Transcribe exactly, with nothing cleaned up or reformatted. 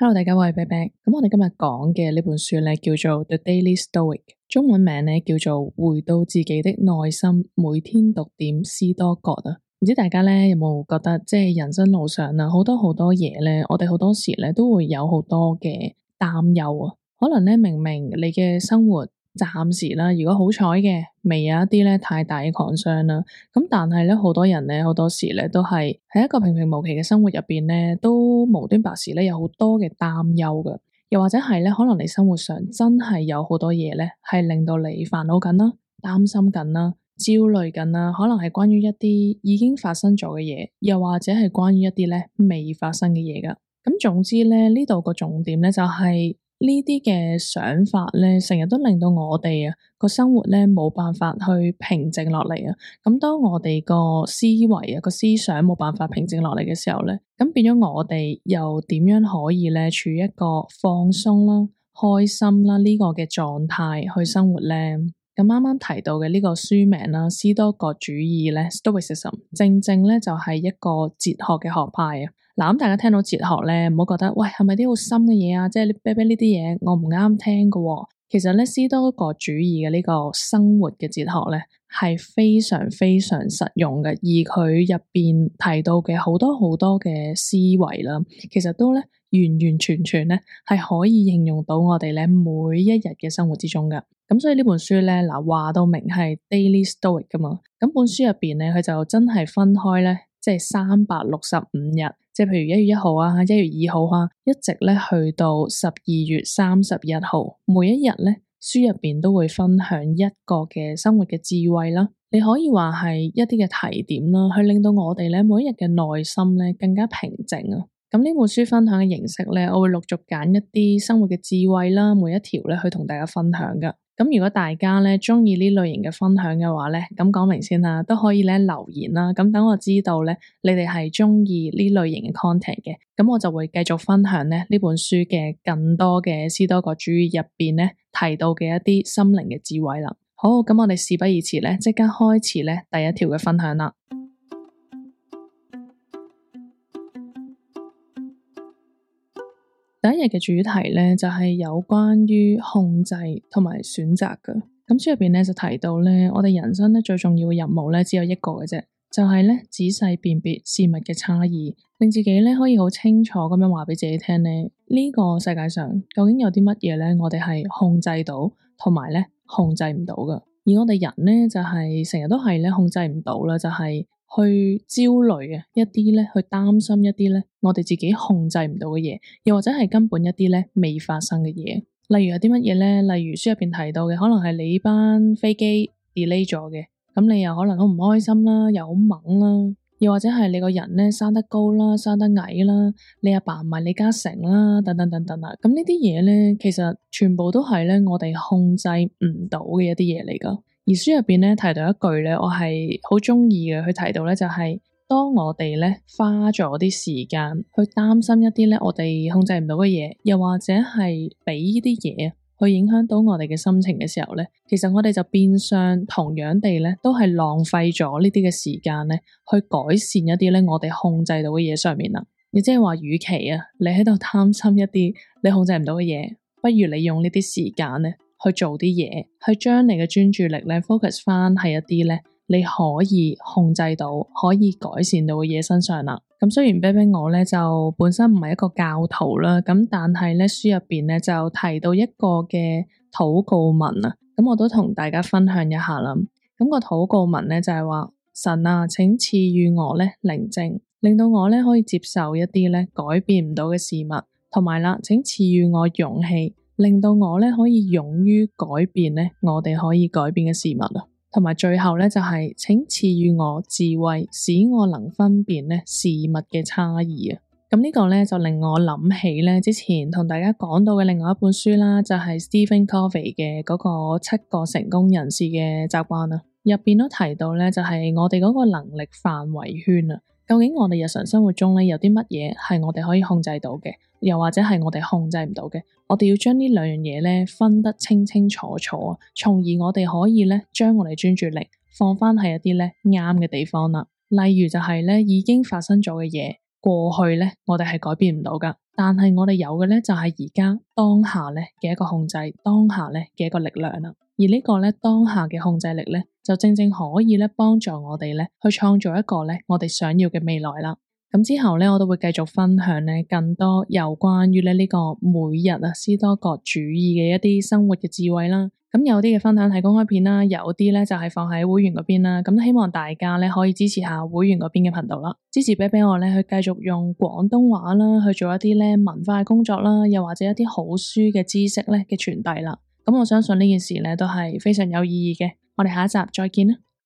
Hello，大家好，我係 Bear Bear。咁我哋今日講嘅呢本書咧叫做《The Daily Stoic》，中文名咧叫做《回到自己的內心，每天讀點斯多葛》啊。唔知大家咧有冇覺得，即係人生路上啊，好多好多嘢咧，我哋好多時咧都會有好多嘅擔憂啊。可能咧明明你嘅生活暫時啦，如果好彩嘅，未有一啲咧太大嘅創傷啦。咁但係咧，好多人咧，好多時咧都係喺一個平平無奇嘅生活入邊咧，都無端白事咧有好多嘅擔憂㗎。又或者係咧，可能你生活上真係有好多嘢咧，係令到你煩惱緊啦、擔心緊啦、焦慮緊啦。可能係關於一啲已經發生咗嘅嘢，又或者係關於一啲咧未發生嘅嘢㗎。咁總之咧，呢度個重點咧就係、是。呢啲嘅想法咧，成日都令到我哋啊個生活咧冇辦法去平靜落嚟啊。咁當我哋個思維啊個思想冇辦法平靜落嚟嘅時候咧，咁變咗我哋又點樣可以咧處於一個放鬆啦、開心啦呢個嘅狀態去生活咧？咁啱啱提到嘅呢個書名啦，斯多葛主義咧 （Stoicism） 正正咧就係一個哲學嘅學派啊。嗱，咁大家聽到哲學咧，唔好覺得喂係咪啲好深嘅嘢啊？即係你啤啤呢啲嘢，我唔啱聽㗎喎。其實咧，斯多葛主義嘅呢個生活嘅哲學咧，係非常非常實用嘅，而佢入邊提到嘅好多好多嘅思維啦，其實都咧完完全全咧係可以應用到我哋咧每一日嘅生活之中㗎。咁所以呢本書咧，嗱話到明係 Daily Stoic 㗎嘛，咁本書入邊咧，佢就真係分開咧，即係三百六十五日。即係譬如一月一號啊，一月二號啊，一直咧去到十二月三十一號，每一日咧書入邊都會分享一個嘅生活嘅智慧啦。你可以話係一啲嘅提點啦，去令到我哋咧每一日嘅內心咧更加平靜啊。咁呢本書分享嘅形式咧，我會陸續揀一啲生活嘅智慧啦，每一條咧去同大家分享噶。咁如果大家咧鍾意呢類型嘅分享嘅話咧，咁講明先啦，都可以咧留言啦。咁等我知道咧，你哋係鍾意呢類型嘅 content 嘅，咁我就會繼續分享咧呢本書嘅更多嘅斯多葛主義入邊咧提到嘅一啲心靈嘅智慧啦。好，咁我哋事不宜遲咧，即刻開始咧第一條嘅分享啦。第一日嘅主題咧就係有關於控制同埋選擇嘅。咁書入邊咧就提到咧，我哋人生咧最重要嘅任務咧只有一個嘅啫，就係咧仔細辨別事物嘅差異，令自己咧可以好清楚咁樣話俾自己聽咧，呢個世界上究竟有啲乜嘢咧，我哋係控制到，同埋咧控制唔到嘅。而我哋人咧就係成日都係咧控制唔到啦，就係。去焦慮啊，一啲咧，去擔心一啲咧，我哋自己控制唔到嘅嘢，又或者係根本一啲咧未發生嘅嘢。例如有啲乜嘢咧？例如書入邊提到嘅，可能係你班飛機 delay 咗嘅，咁你又可能好唔開心啦，又好猛啦，又或者係你個人咧生得高啦，生得矮啦，你阿爸唔係李嘉誠啦，等等等等啊。咁呢啲嘢咧，其實全部都係咧我哋控制唔到嘅一啲嘢嚟噶。而書入邊咧提到一句咧，我係好鍾意嘅。佢提到咧就係、是，當我哋咧花咗啲時間去擔心一啲咧我哋控制唔到嘅嘢，又或者係俾呢啲嘢去影響到我哋嘅心情嘅時候咧，其實我哋就變相同樣地咧，都係浪費咗呢啲嘅時間咧，去改善一啲咧我哋控制到嘅嘢上面啦。亦即係話，與其啊你喺度擔心一啲你控制唔到嘅嘢，不如你用呢啲時間咧。去做啲嘢，去將你嘅專注力咧 focus 翻喺一啲咧你可以控制到、可以改善到嘅嘢身上啦。咁雖然啤啤我咧就本身唔係一個教徒啦，咁但係咧書入邊咧就提到一個嘅禱告文啊，咁我都同大家分享一下啦。咁個禱告文咧就係話：神啊，請賜予我咧寧靜，令到我咧可以接受一啲咧改變唔到嘅事物，同埋啦，請賜予我勇氣。令到我咧可以勇於改變咧，我哋可以改變嘅事物啊，同埋最後咧就係、是、請賜予我智慧，使我能分辨咧事物嘅差異啊。咁呢個咧就令我諗起咧之前同大家講到嘅另外一本書啦，就係、是、Stephen Covey 嘅嗰個七個成功人士嘅習慣啊，入邊都提到咧就係、是、我哋嗰個能力範圍圈啊。究竟我哋日常生活中咧有啲乜嘢係我哋可以控制到嘅，又或者係我哋控制唔到嘅？我哋要將呢兩樣嘢咧分得清清楚楚啊，從而我哋可以咧將我哋專注力放翻喺一啲咧啱嘅地方啦。例如就係咧已經發生咗嘅嘢，過去咧，我哋係改變唔到噶，但係我哋有嘅咧就係而家當下咧嘅一個控制，當下咧嘅一個力量啦。而呢個咧當下嘅控制力咧，就正正可以咧幫助我哋咧去創造一個咧我哋想要嘅未來啦。咁之後咧，我都會繼續分享咧更多有關於咧呢個每日啊斯多葛主義嘅一啲生活嘅智慧啦。咁有啲嘅分享係公開片啦，有啲咧就係放喺會員嗰邊啦。咁希望大家咧可以支持下會員嗰邊嘅頻道啦，支持俾俾我咧去繼續用廣東話啦去做一啲咧文化嘅工作啦，又或者一啲好書嘅知識咧嘅傳遞啦。咁我相信呢件事咧都係非常有意義嘅。我哋下一集再見啦。